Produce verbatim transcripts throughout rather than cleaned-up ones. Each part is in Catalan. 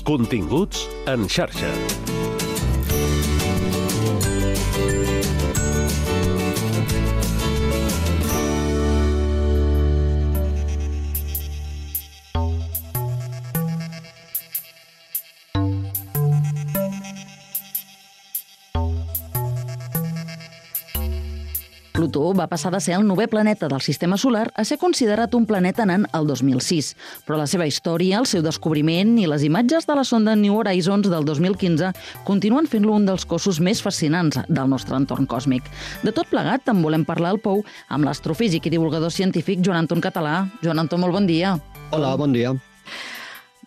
Continguts en xarxa. Plutó va passar de ser el novè planeta del sistema solar a ser considerat un planeta nan el dos mil sis. Però la seva història, el seu descobriment i les imatges de la sonda New Horizons del dos mil quinze continuen fent-lo un dels cossos més fascinants del nostre entorn còsmic. De tot plegat, en volem parlar al Pou amb l'astrofísic i divulgador científic Joan Anton Català. Joan Anton, molt bon dia. Hola, bon dia.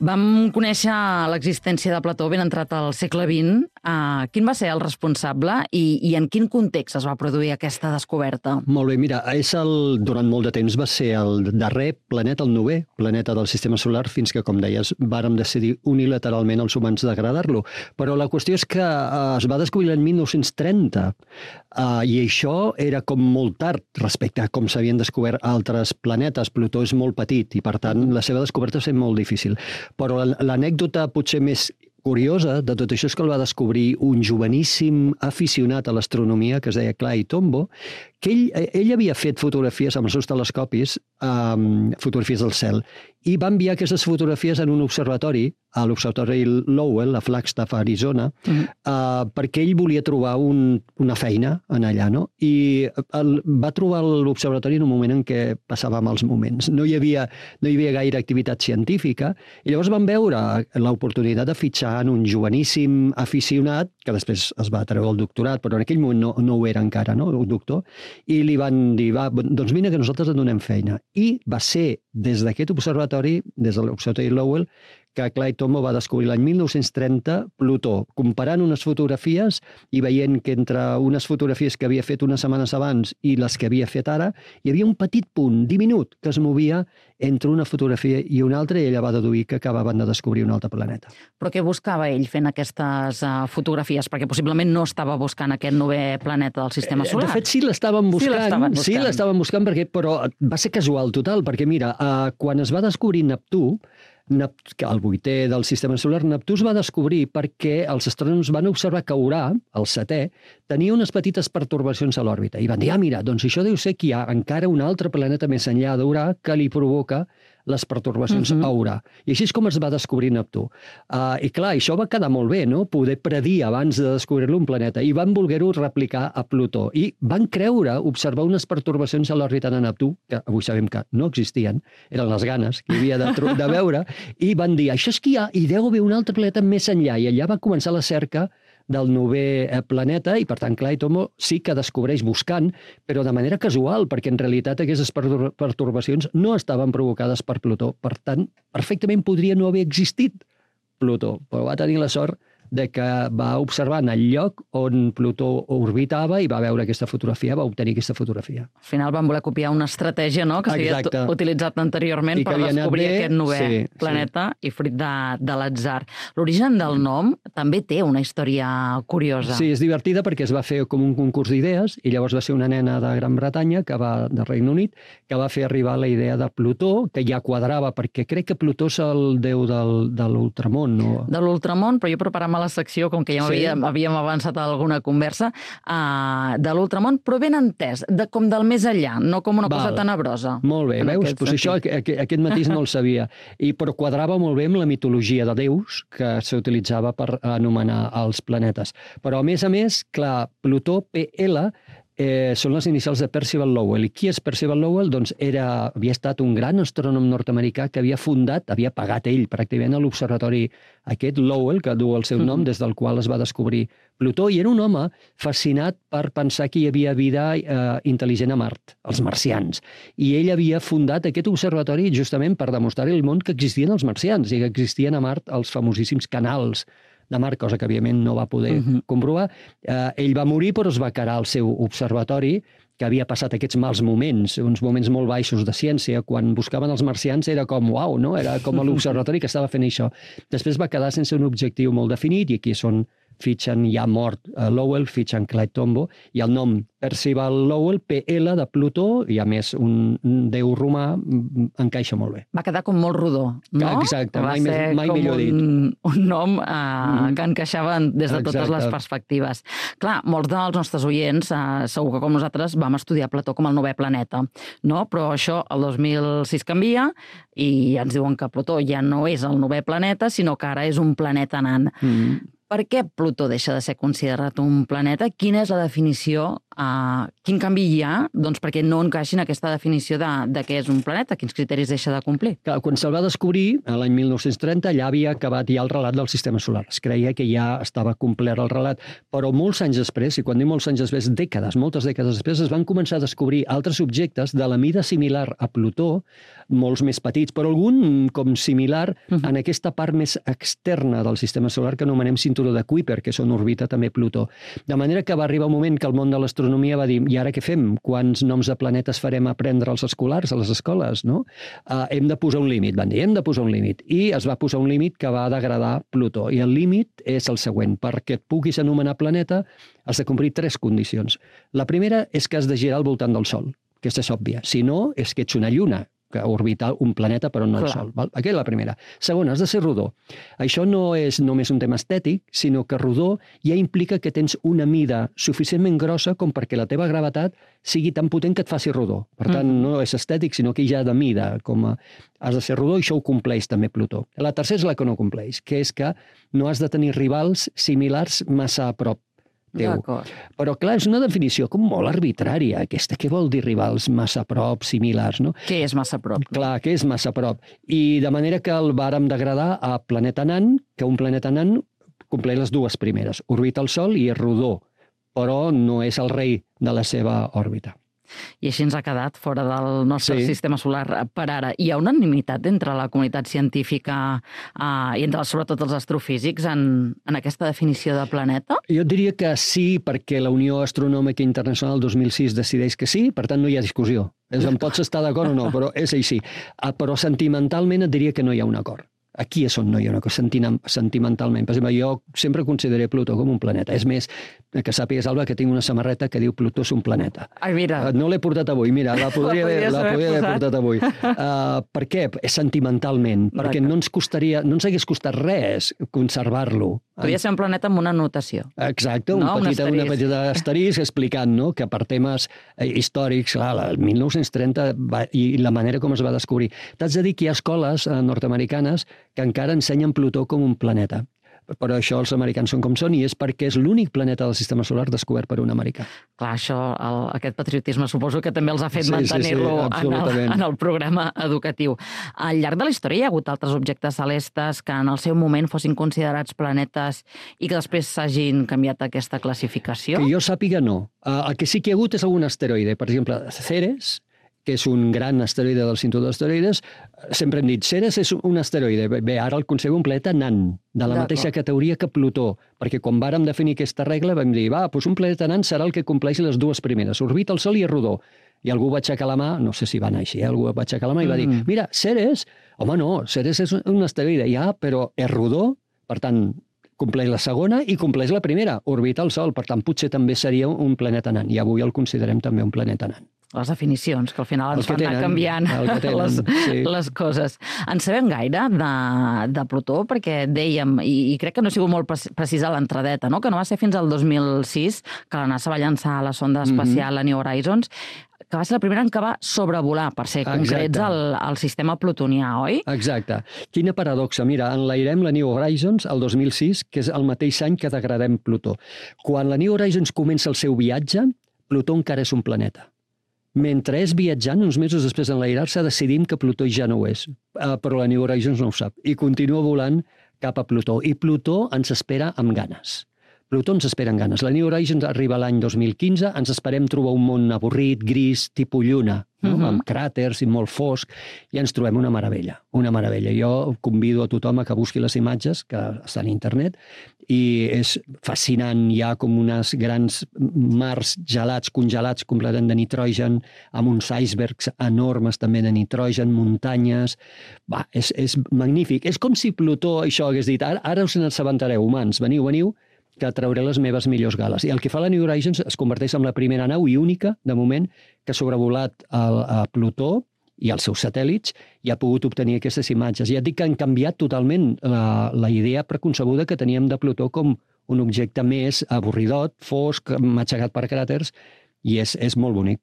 Vam conèixer l'existència de Plató ben entrat al segle vint. Uh, quin va ser el responsable i, i en quin context es va produir aquesta descoberta? Molt bé, mira, és el, durant molt de temps va ser el darrer planeta, el novè planeta del sistema solar, fins que, com deies, vàrem decidir unilateralment els humans degradar-lo. Però la qüestió és que uh, es va descobrir l'any mil nou-cents trenta uh, i això era com molt tard respecte a com s'havien descobert altres planetes. Plutó és molt petit i, per tant, la seva descoberta va ser molt difícil. Però l'anècdota potser més curiosa de tot això és que el va descobrir un joveníssim aficionat a l'astronomia que es deia Clyde Tombaugh, que ell, ell havia fet fotografies amb els seus telescopis, um, fotografies del cel, i va enviar aquestes fotografies en un observatori, a l'observatori Lowell, a Flagstaff, Arizona, mm-hmm. uh, perquè ell volia trobar un, una feina en allà, no? I el, va trobar l'observatori en un moment en què passava mals moments. No hi havia, no hi havia gaire activitat científica, i llavors van veure l'oportunitat de fitxar en un joveníssim aficionat, que després es va treure el doctorat, però en aquell moment no, no ho era encara, no? Un doctor, i li van dir, va, doncs mira que nosaltres et donem feina. I va ser des d'aquest observatori, des de l'observatori Lowell, que Clyde Tombaugh va descobrir l'any mil nou-cents trenta Plutó, comparant unes fotografies i veient que entre unes fotografies que havia fet unes setmanes abans i les que havia fet ara, hi havia un petit punt diminut que es movia entre una fotografia i una altra, i ella va deduir que acabaven de descobrir un altre planeta. Però què buscava ell fent aquestes uh, fotografies? Perquè possiblement no estava buscant aquest novè planeta del sistema solar. De fet, sí l'estaven buscant, sí l'estaven buscant, sí l'estaven buscant perquè, però va ser casual total, perquè mira, uh, quan es va descobrir Neptú, Nept... el vuitè del sistema solar, Neptú es va descobrir perquè els astrònoms van observar que Urà, el setè, tenia unes petites pertorbacions a l'òrbita. I van dir, ah, mira, doncs això deu ser que hi ha encara un altre planeta més enllà d'Urà que li provoca les pertorbacions uh-huh. a Urà. I així és com es va descobrir Neptú. Uh, I clar, això va quedar molt bé, no? Poder predir abans de descobrir-lo un planeta. I van voler-ho replicar a Plutó. I van creure observar unes pertorbacions a l'òrbita de Neptú, que avui sabem que no existien, eren les ganes que hi havia de, de veure, i van dir, això és que hi ha, i deu haver un altre planeta més enllà. I allà va començar la cerca del novè planeta, i per tant Clyde Tombaugh sí que descobreix buscant, però de manera casual, perquè en realitat aquestes pertorbacions no estaven provocades per Plutó. Per tant, perfectament podria no haver existit Plutó, però va tenir la sort de que va observar en el lloc on Plutó orbitava i va veure aquesta fotografia, va obtenir aquesta fotografia. Al final van voler copiar una estratègia, no?, que s'havia utilitzat anteriorment per descobrir bé, aquest novè sí, planeta sí. I fruit de, de l'atzar. L'origen del nom també té una història curiosa. Sí, és divertida perquè es va fer com un concurs d'idees i llavors va ser una nena de Gran Bretanya, que va de Regne Unit, que va fer arribar la idea de Plutó, que ja quadrava, perquè crec que Plutó és el déu del, de l'ultramón. No? De l'ultramón, però jo preparava la secció, com que ja sí. havíem, havíem avançat a alguna conversa, uh, de l'ultramón, però ben entès, de, com del més enllà, no com una Val. cosa tenebrosa. Molt bé, veus? Pues això, aquest, aquest matís no el sabia. I, però quadrava molt bé amb la mitologia de déus que s'utilitzava per anomenar els planetes. Però, a més a més, clar, Plutó, P L, Eh, són les inicials de Percival Lowell. I qui és Percival Lowell? Doncs era, havia estat un gran astrònom nord-americà que havia fundat, havia pagat ell pràcticament a l'observatori aquest Lowell, que du el seu nom, mm-hmm. des del qual es va descobrir Plutó, i era un home fascinat per pensar que hi havia vida eh, intel·ligent a Mart, els marcians. I ell havia fundat aquest observatori justament per demostrar al món que existien els marcians i que existien a Mart els famosíssims canals de Mart, cosa que, òbviament, no va poder uh-huh. comprovar. Eh, ell va morir, però es va quedar al seu observatori, que havia passat aquests mals moments, uns moments molt baixos de ciència. Quan buscaven els marcians era com, uau, no? Era com l'observatori que estava fent això. Després va quedar sense un objectiu molt definit, i aquí és on fitxen ja mort a Lowell, fitxen Clyde Tombaugh, i el nom Percival Lowell, P L de Plutó, i a més un déu romà, encaixa molt bé. Va quedar com molt rodó, no? Exacte, Va mai, ser mai com millor dit. un, un nom eh, mm. que encaixava des de totes Exacte. les perspectives. Clar, molts dels nostres oients, eh, segur que com nosaltres, vam estudiar Plató com el novè planeta, no? Però això el dos mil sis canvia i ens diuen que Plutó ja no és el novè planeta, sinó que ara és un planeta nan. Mm. Per què Plutó deixa de ser considerat un planeta? Quina és la definició? Uh, quin canvi hi ha? Doncs perquè no encaixin aquesta definició de, de què és un planeta, quins criteris deixa de complir. Clar, quan se'l va descobrir, l'any mil nou-cents trenta, allà havia acabat ja el relat del sistema solar. Es creia que ja estava complert el relat, però molts anys després, i quan dic molts anys després, dècades, moltes dècades després, es van començar a descobrir altres objectes de la mida similar a Plutó, molts més petits, però algun com similar uh-huh. en aquesta part més externa del sistema solar que anomenem cinturó de Kuiper, que és on orbita també Plutó. De manera que va arribar un moment que el món de l'astronomia va dir, i ara què fem? Quants noms de planetes farem aprendre als escolars, a les escoles, no? Uh, hem de posar un límit, van dir, hem de posar un límit. I es va posar un límit que va degradar Plutó. I el límit és el següent. Perquè et puguis anomenar planeta, has de complir tres condicions. La primera és que has de girar al voltant del Sol. Aquesta és òbvia. Si no, és que ets una lluna, que orbita un planeta però no el Sol. Val? Aquesta és la primera. Segona, has de ser rodó. Això no és només un tema estètic, sinó que rodó ja implica que tens una mida suficientment grossa com perquè la teva gravetat sigui tan potent que et faci rodó. Per tant, mm. no és estètic, sinó que ja de mida. Com a... Has de ser rodó i això ho compleix també Plutó. La tercera és la que no compleix, que és que no has de tenir rivals similars massa a prop teu. Però, clar, és una definició com molt arbitrària, aquesta. Què vol dir rivals massa a prop, similars, no? Què és massa a prop? Clar, què és massa a prop? I de manera que el vàrem degradar a planeta nan, que un planeta nan compleix les dues primeres. Orbita el Sol i és rodó, però no és el rei de la seva òrbita. I així ens ha quedat fora del nostre sí. sistema solar per ara. Hi ha unanimitat entre la comunitat científica eh, i entre, sobretot, els astrofísics en, en aquesta definició de planeta? Jo diria que sí, perquè la Unió Astronòmica Internacional dos mil sis decideix que sí, per tant no hi ha discussió. És en pots estar d'acord o no, però és així. Però sentimentalment et diria que no hi ha un acord. Aquí és on no hi ha una cosa sentimentalment. Per exemple, jo sempre consideré Plutó com un planeta. És més, que sàpigues, Alba, que tinc una samarreta que diu Plutó és un planeta. Ai, mira. No l'he portat avui, mira, la podria, la haver, la podria haver portat avui. Uh, per què? És sentimentalment. Perquè no ens costaria, no ens hagués costat res conservar-lo. Podria ser un planeta amb una notació. Exacte, un no? petit, un una petita asterisc explicant, no?, que per temes històrics, clar, el mil nou-cents trenta va, i la manera com es va descobrir. T'haig de dir que hi ha escoles nord-americanes que encara ensenyen Plutó com un planeta. Però això els americans són com són i és perquè és l'únic planeta del sistema solar descobert per un americà. Clar, això, el, aquest patriotisme suposo que també els ha fet sí, mantenir-lo sí, sí, en, el, en el programa educatiu. Al llarg de la història hi ha hagut altres objectes celestes que en el seu moment fossin considerats planetes i que després s'hagin canviat aquesta classificació? Que jo sàpiga no. El que sí que hi ha hagut és algun asteroide. Per exemple, Ceres, que és un gran asteroide del cinturó d'asteroides, sempre hem dit, Ceres és un asteroide. Bé, ara el concebem un planeta nan, de la mateixa categoria que Plutó, perquè quan vàrem definir aquesta regla vam dir, va, doncs un planeta nan serà el que compleixi les dues primeres, orbita el Sol i és rodó. I algú va aixecar la mà, no sé si va anar així, eh? algú va aixecar la mà i va dir, mira, Ceres, home no, Ceres és un asteroide, ja, però és rodó, per tant, compleix la segona i compleix la primera, orbita el Sol, per tant, potser també seria un planeta nan, i avui el considerem també un planeta nan. Les definicions, que al final ens fan anar canviant les, sí. les coses. En sabem gaire de, de Plutó, perquè dèiem, i, i crec que no ha sigut molt precisa l'entradeta, no? Que no va ser fins al dos mil sis que la NASA va llançar la sonda espacial, mm-hmm. la New Horizons, que va ser la primera en què va sobrevolar, per ser concrets, al, al sistema plutonià, oi? Exacte. Quina paradoxa. Mira, enlairem la New Horizons el dos mil sis, que és el mateix any que degradem Plutó. Quan la New Horizons comença el seu viatge, Plutó encara és un planeta. Mentre és viatjant, uns mesos després d'enlairar-se, decidim que Plutó ja no ho és. Uh, però la New Horizons no ho sap. I continua volant cap a Plutó. I Plutó ens espera amb ganes. Plutó ens espera amb ganes. La New Horizons arriba l'any dos mil quinze, ens esperem trobar un món avorrit, gris, tipus lluna, no? uh-huh. amb cràters i molt fosc, i ens trobem una meravella, una meravella. Jo convido a tothom a que busqui les imatges, que estan a internet, i és fascinant. Hi ha com unes grans mars gelats, congelats completament de nitrogen, amb uns icebergs enormes també de nitrogen, muntanyes... Va, és, és magnífic. És com si Plutó això hagués dit, ara, ara us n'assabentareu, humans, veniu, veniu, que trauré les meves millors gales. I el que fa la New Horizons es converteix en la primera nau i única, de moment, que ha sobrevolat el, a Plutó i els seus satèl·lits i ha pogut obtenir aquestes imatges. Ja et dic que han canviat totalment la, la idea preconcebuda que teníem de Plutó com un objecte més avorridot, fosc, matxagat per cràters, i és, és molt bonic.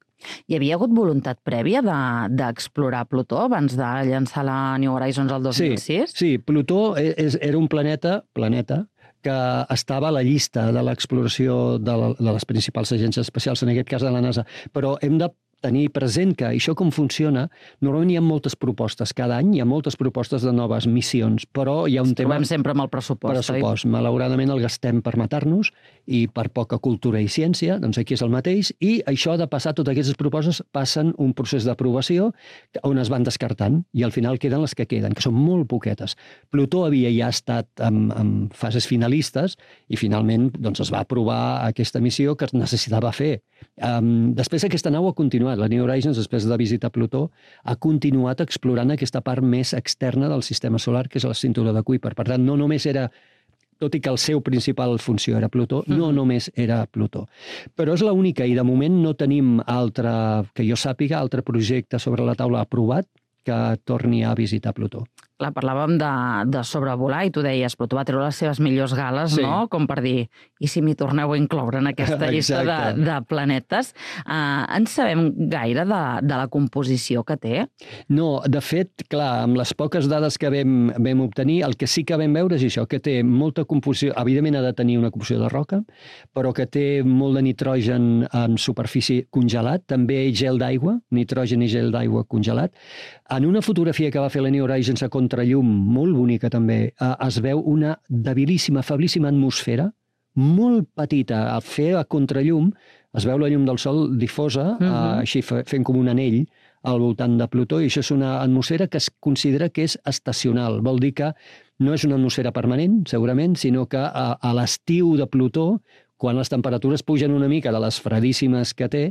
Hi havia hagut voluntat prèvia d'explorar de, Plutó abans de llançar la New Horizons el dos mil sis? Sí, sí, Plutó és, era un planeta, planeta que estava a la llista de l'exploració de, la, de les principals agències espacials, en aquest cas de la NASA, però hem de tenir present que això com funciona, normalment hi ha moltes propostes. Cada any hi ha moltes propostes de noves missions, però hi ha un tema... Trobem sempre amb el pressupost, pressupost. Oi? Malauradament el gastem per matar-nos i per poca cultura i ciència, doncs aquí és el mateix, i això ha de passar, totes aquestes propostes passen un procés d'aprovació on es van descartant, i al final queden les que queden, que són molt poquetes. Plutó havia ja estat en, en fases finalistes i finalment doncs, es va aprovar aquesta missió que es necessitava fer. Um, després aquesta nau ha continuat. La New Horizons, després de visitar Plutó, ha continuat explorant aquesta part més externa del sistema solar, que és la cintura de Kuiper. Per tant, no només era, tot i que el seu principal funció era Plutó, mm. no només era Plutó. Però és l'única, i de moment no tenim altre, que jo sàpiga, altre projecte sobre la taula aprovat que torni a visitar Plutó. Clar, parlàvem de, de sobrevolar i tu deies, Plutó va treure les seves millors gales, sí. no? Com per dir, i si m'hi torneu a incloure en aquesta llista de, de planetes? Uh, en sabem gaire de, de la composició que té? No, de fet, clar, amb les poques dades que vam, vam obtenir, el que sí que vam veure és això, que té molta composició, evidentment ha de tenir una composició de roca, però que té molt de nitrogen en superfície congelat, també gel d'aigua, nitrogen i gel d'aigua congelat. En una fotografia que va fer la New Horizons a contrallum, molt bonica també, es veu una debilíssima, feblíssima atmosfera, molt petita. Al fer a contrallum es veu la llum del sol difosa, uh-huh. així fent com un anell al voltant de Plutó, i això és una atmosfera que es considera que és estacional. Vol dir que no és una atmosfera permanent, segurament, sinó que a, a l'estiu de Plutó, quan les temperatures pugen una mica de les fredíssimes que té,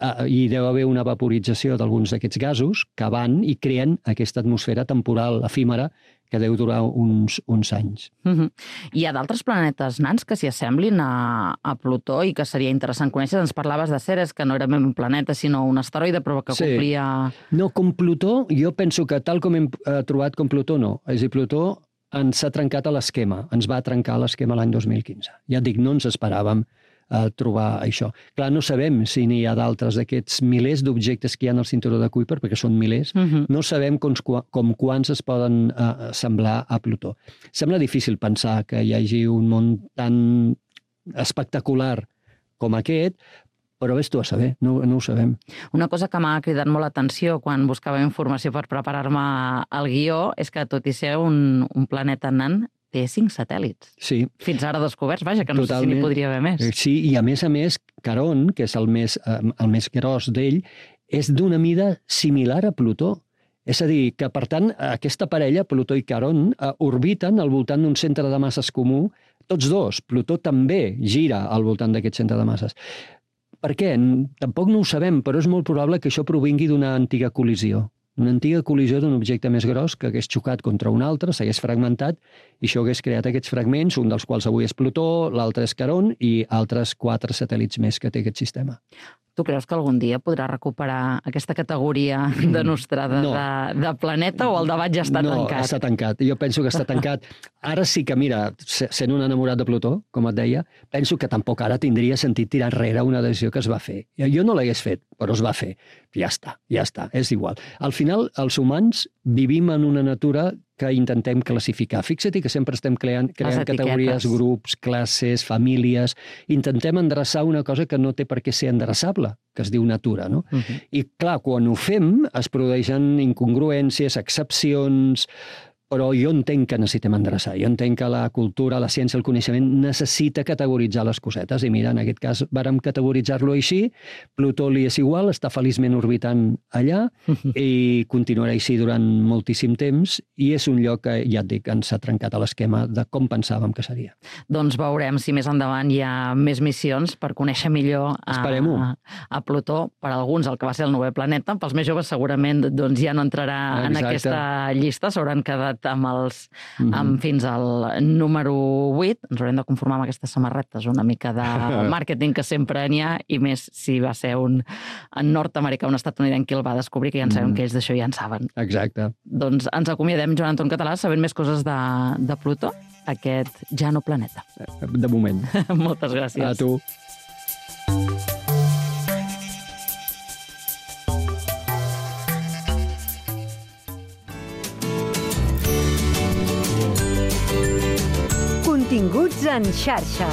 Uh, hi deu haver una vaporització d'alguns d'aquests gasos que van i creen aquesta atmosfera temporal efímera que deu durar uns, uns anys. Uh-huh. Hi ha d'altres planetes nans que s'hi assemblin a, a Plutó i que seria interessant conèixer. Ens parlaves de Ceres, que no era un planeta, sinó un asteroide, però que sí. complia... No, com Plutó, jo penso que tal com hem uh, trobat com Plutó, no. És a dir, Plutó ens ha trencat a l'esquema, ens va trencar l'esquema l'any dos mil quinze. Ja et dic, no ens esperàvem a trobar això. Clar, no sabem si n'hi ha d'altres d'aquests milers d'objectes que hi ha al cinturó de Kuiper, perquè són milers, uh-huh. no sabem com, com quants es poden uh, semblar a Plutó. Sembla difícil pensar que hi hagi un món tan espectacular com aquest, però vés-t'ho a saber, no, no ho sabem. Una cosa que m'ha cridat molt l'atenció quan buscava informació per preparar-me al guió és que, tot i ser un, un planeta nan, té cinc satèl·lits. Sí. Fins ara descoberts, vaja, que no Totalment. sé si n'hi podria haver més. Sí, i a més a més, Caront, que és el més, el més gros d'ell, és d'una mida similar a Plutó. És a dir, que per tant, aquesta parella, Plutó i Caront, orbiten al voltant d'un centre de masses comú, tots dos. Plutó també gira al voltant d'aquest centre de masses. Per què? Tampoc no ho sabem, però és molt probable que això provingui d'una antiga col·lisió. Una antiga col·lisió d'un objecte més gros que hagués xocat contra un altre, s'hagués fragmentat, i això hagués creat aquests fragments, un dels quals avui és Plutó, l'altre és Caront, i altres quatre satèl·lits més que té aquest sistema. Tu creus que algun dia podrà recuperar aquesta categoria de nostrada no. de, de planeta, o el debat ja està no, tancat? No, està tancat. Jo penso que està tancat. Ara sí que, mira, sent un enamorat de Plutó, com et deia, penso que tampoc ara tindria sentit tirar enrere una decisió que es va fer. Jo no l'hagués fet, però es va fer. Ja està, ja està, és igual. Al final, els humans vivim en una natura que intentem classificar. Fixa't que sempre estem creant, creant categories, grups, classes, famílies. Intentem endreçar una cosa que no té per què ser endreçable, que es diu natura, no? Uh-huh. I clar, quan ho fem es produeixen incongruències, excepcions, però jo entenc que necessitem endreçar. Jo entenc que la cultura, la ciència, el coneixement necessita categoritzar les cosetes. I mira, en aquest cas vàrem categoritzar-lo així. Plutó li és igual, està feliçment orbitant allà i continuarà així durant moltíssim temps, i és un lloc que, ja et dic, ens ha trencat a l'esquema de com pensàvem que seria. Doncs veurem si més endavant hi ha més missions per conèixer millor a, a, a Plutó. Per alguns, el que va ser el novè planeta, pels més joves segurament doncs, ja no entrarà Exacte. en aquesta llista, s'hauran quedat sort amb els, mm-hmm. amb fins al número vuit. Ens haurem de conformar amb aquestes samarretes, una mica de màrqueting que sempre n'hi ha, i més si va ser un nord-americà, un estatunidenc qui el va descobrir, que ja en sabem mm. que ells d'això ja en saben. Exacte. Doncs ens acomiadem, Joan Anton Català, sabent més coses de, de Plutó, aquest ja no planeta. De moment. Moltes gràcies. A tu. Continguts en xarxa.